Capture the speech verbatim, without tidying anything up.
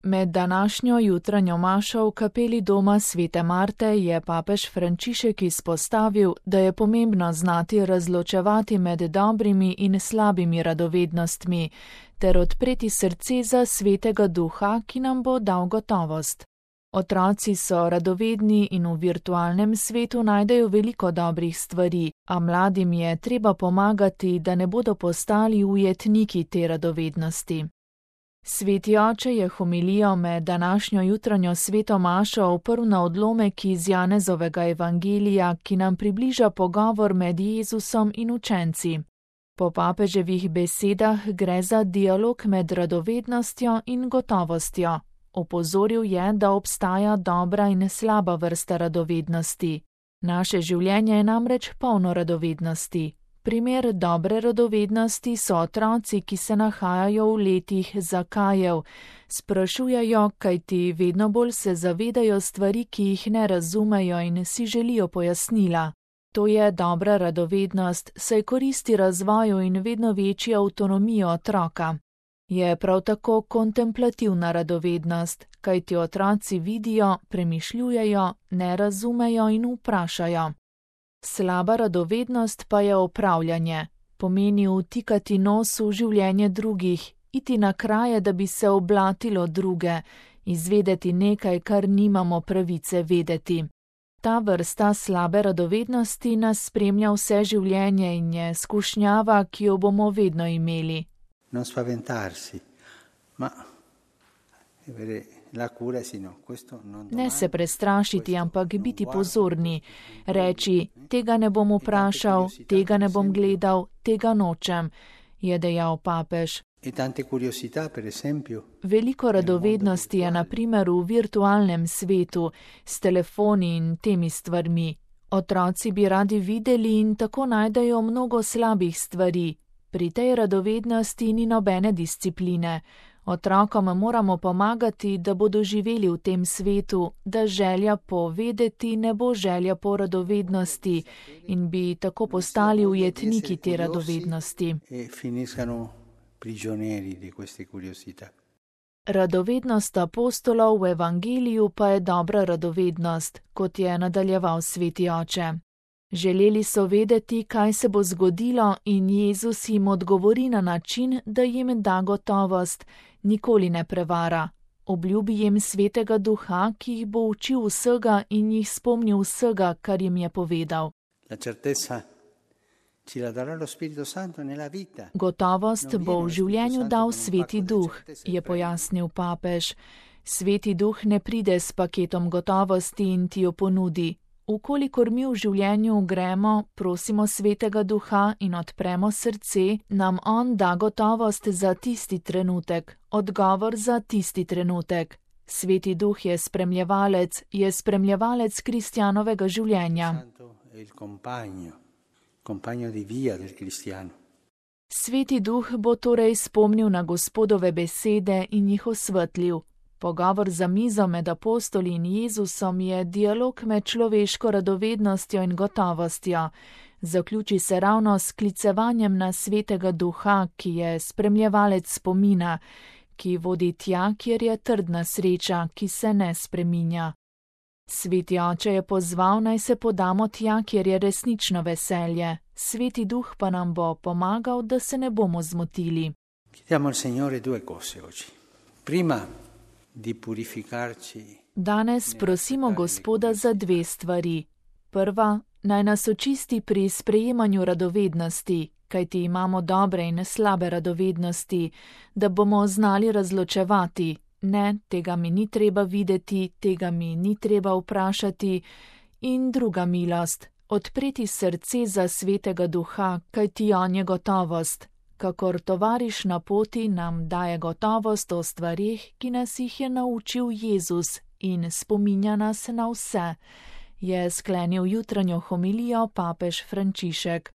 Med današnjo jutranjo mašo v kapeli doma svete Marte je papež Frančišek izpostavil, da je pomembno znati razločevati med dobrimi in slabimi radovednostmi, ter odpreti srce za svetega duha, ki nam bo dal gotovost. Otroci so radovedni in v virtualnem svetu najdejo veliko dobrih stvari, a mladim je treba pomagati, da ne bodo postali ujetniki te radovednosti. Sveti oče je homilijo med današnjo jutranjo sveto mašo oprl na odlomek iz Janezovega evangelija, ki nam približa pogovor med Jezusom in učenci. Po papeževih besedah gre za dialog med radovednostjo in gotovostjo. Opozoril je, da obstaja dobra in slaba vrsta radovednosti. Naše življenje je namreč polno radovednosti. Primer dobre radovednosti so otroci, ki se nahajajo v letih zakajev. Sprašujejo, kajti vedno bolj se zavedajo stvari, ki jih ne razumejo in si želijo pojasnila. To je dobra radovednost, saj koristi razvoju in vedno večji avtonomijo otroka. Je prav tako kontemplativna radovednost, kajti otroci vidijo, premišljujejo, ne razumejo in vprašajo. Slaba radovednost pa je opravljanje, pomeni vtikati nos v življenje drugih, iti na kraje, da bi se oblatilo druge, izvedeti nekaj, kar nimamo pravice vedeti. Ta vrsta slabe radovednosti nas spremlja vse življenje in je skušnjava, ki jo bomo vedno imeli. Non spaventarsi, ma Ne se prestrašiti, ampak biti pozorni. Reči, tega ne bom vprašal, tega ne bom gledal, tega nočem, je dejal papež. Veliko radovednosti je na primer v virtualnem svetu, s telefoni in temi stvarmi. Otroci bi radi videli in tako najdejo mnogo slabih stvari. Pri tej radovednosti ni nobene discipline. Otrokom moramo pomagati, da bodo živeli v tem svetu, da želja po vedeti ne bo želja po radovednosti in bi tako postali ujetniki te radovednosti. Radovednost apostolov v evangeliju pa je dobra radovednost, kot je nadaljeval sveti oče. Želeli so vedeti, kaj se bo zgodilo, in Jezus jim odgovori na način, da jim da gotovost, nikoli ne prevara. Obljubi jim svetega duha, ki jih bo učil vsega in jih spomnil vsega, kar jim je povedal. Gotovost bo v življenju dal sveti duh, je pojasnil papež. Sveti duh ne pride s paketom gotovosti in ti jo ponudi. Ukolikor mi v življenju gremo, prosimo svetega duha in odpremo srce, nam on da gotovost za tisti trenutek, odgovor za tisti trenutek. Sveti duh je spremljevalec, je spremljevalec kristjanovega življenja. Sveti duh bo torej spomnil na Gospodove besede in jih osvetlil. Pogovor za mizo med apostoli in Jezusom je dialog med človeško radovednostjo in gotovostjo. Zaključi se ravno s sklicevanjem na svetega duha, ki je spremljevalec spomina, ki vodi tja, kjer je trdna sreča, ki se ne spreminja. Sveti oče je pozval, naj se podamo tja, kjer je resnično veselje. Sveti duh pa nam bo pomagal, da se ne bomo zmotili. Chiediamo al Signore due cose oggi. Prima, Danes prosimo Gospoda za dve stvari. Prva, naj nas očisti pri sprejemanju radovednosti, kajti imamo dobre in slabe radovednosti, da bomo znali razločevati. Ne, tega mi ni treba videti, tega mi ni treba vprašati. In druga milost, odpreti srce za svetega duha, kajti on je gotovost. Kakor tovariš na poti nam daje gotovost o stvarih, ki nas jih je naučil Jezus in spominja nas na vse, je sklenil jutranjo homilijo papež Frančišek.